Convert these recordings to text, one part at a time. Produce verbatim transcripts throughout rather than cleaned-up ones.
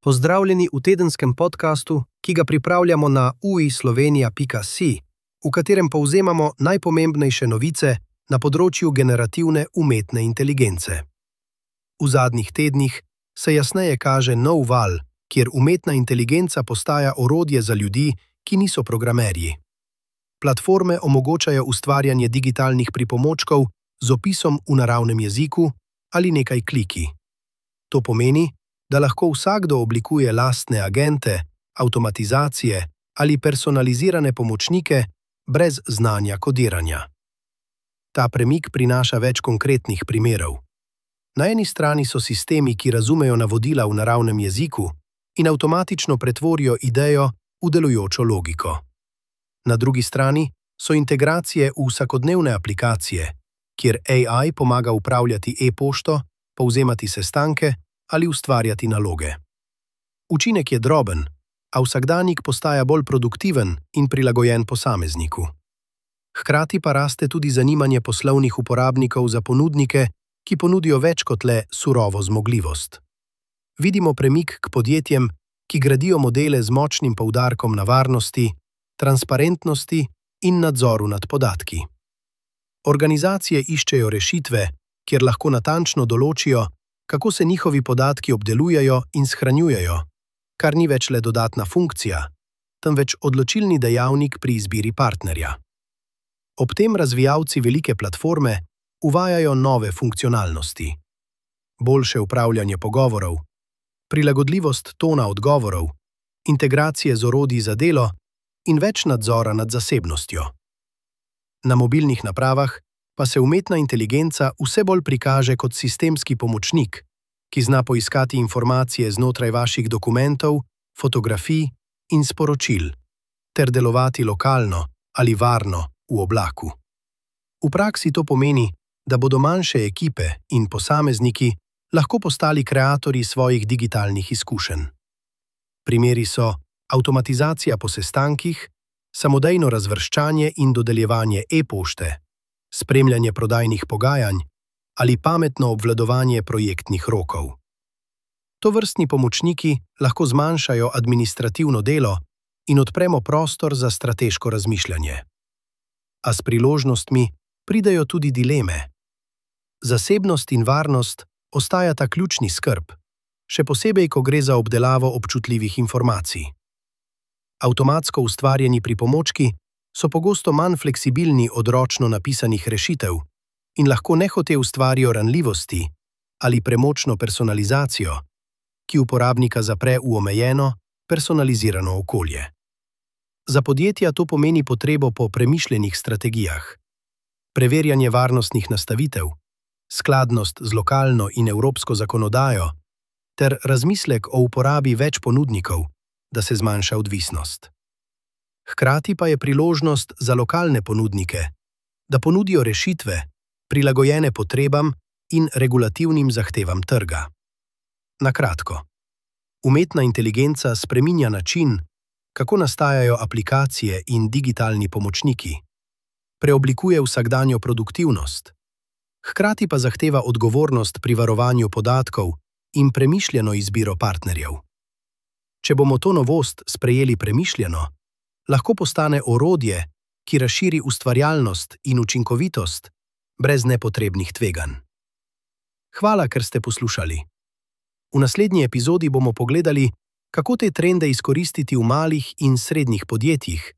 Pozdravljeni v tedenskem podkastu, ki ga pripravljamo na u i slovenija pika si, v katerem povzemamo najpomembnejše novice na področju generativne umetne inteligence. V zadnjih tednih se jasneje kaže nov val, kjer umetna inteligenca postaja orodje za ljudi, ki niso programerji. Platforme omogočajo ustvarjanje digitalnih pripomočkov z opisom v naravnem jeziku ali nekaj kliki. To pomeni, da lahko vsakdo oblikuje lastne agente, avtomatizacije ali personalizirane pomočnike brez znanja kodiranja. Ta premik prinaša več konkretnih primerov. Na eni strani so sistemi, ki razumejo navodila v naravnem jeziku in avtomatično pretvorijo idejo v delujočo logiko. Na drugi strani so integracije v vsakodnevne aplikacije, kjer A I pomaga upravljati e-pošto, povzemati sestanke ali ustvarjati naloge. Učinek je droben, a vsakdanjik postaja bolj produktiven in prilagojen posamezniku. Hkrati pa raste tudi zanimanje poslovnih uporabnikov za ponudnike, ki ponudijo več kot le surovo zmogljivost. Vidimo premik k podjetjem, ki gradijo modele z močnim poudarkom na varnosti, transparentnosti in nadzoru nad podatki. Organizacije iščejo rešitve, kjer lahko natančno določijo, kako se njihovi podatki obdelujejo in shranjujejo, kar ni več le dodatna funkcija, temveč odločilni dejavnik pri izbiri partnerja. Ob tem razvijalci velike platforme uvajajo nove funkcionalnosti. Boljše upravljanje pogovorov, prilagodljivost tona odgovorov, integracije z orodji za delo in več nadzora nad zasebnostjo. Na mobilnih napravah pa se umetna inteligenca vse bolj prikaže kot sistemski pomočnik, ki zna poiskati informacije znotraj vaših dokumentov, fotografij in sporočil, ter delovati lokalno ali varno v oblaku. V praksi to pomeni, da bodo manjše ekipe in posamezniki lahko postali kreatorji svojih digitalnih izkušenj. Primeri so avtomatizacija po sestankih, samodejno razvrščanje in dodeljevanje e-pošte, spremljanje prodajnih pogajanj ali pametno obvladovanje projektnih rokov. Tovrstni pomočniki lahko zmanjšajo administrativno delo in odpremo prostor za strateško razmišljanje. A s priložnostmi pridejo tudi dileme. Zasebnost in varnost ostajata ključni skrb, še posebej, ko gre za obdelavo občutljivih informacij. Avtomatsko ustvarjeni pripomočki so pogosto manj fleksibilni od ročno napisanih rešitev in lahko nehote ustvarijo ranljivosti ali premočno personalizacijo, ki uporabnika zapre v omejeno, personalizirano okolje. Za podjetja to pomeni potrebo po premišljenih strategijah, preverjanje varnostnih nastavitev, skladnost z lokalno in evropsko zakonodajo ter razmislek o uporabi več ponudnikov, da se zmanjša odvisnost. Hkrati pa je priložnost za lokalne ponudnike, da ponudijo rešitve, prilagojene potrebam in regulativnim zahtevam trga. Na kratko, umetna inteligenca spreminja način, kako nastajajo aplikacije in digitalni pomočniki, preoblikuje vsakdanjo produktivnost, hkrati pa zahteva odgovornost pri varovanju podatkov in premišljeno izbiro partnerjev. Če bomo to novost sprejeli premišljeno, lahko postane orodje, ki razširi ustvarjalnost in učinkovitost brez nepotrebnih tveganj. Hvala, ker ste poslušali. V naslednji epizodi bomo pogledali, kako te trende izkoristiti v malih in srednjih podjetjih,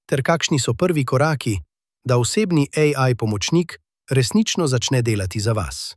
ter kakšni so prvi koraki, da osebni A I pomočnik resnično začne delati za vas.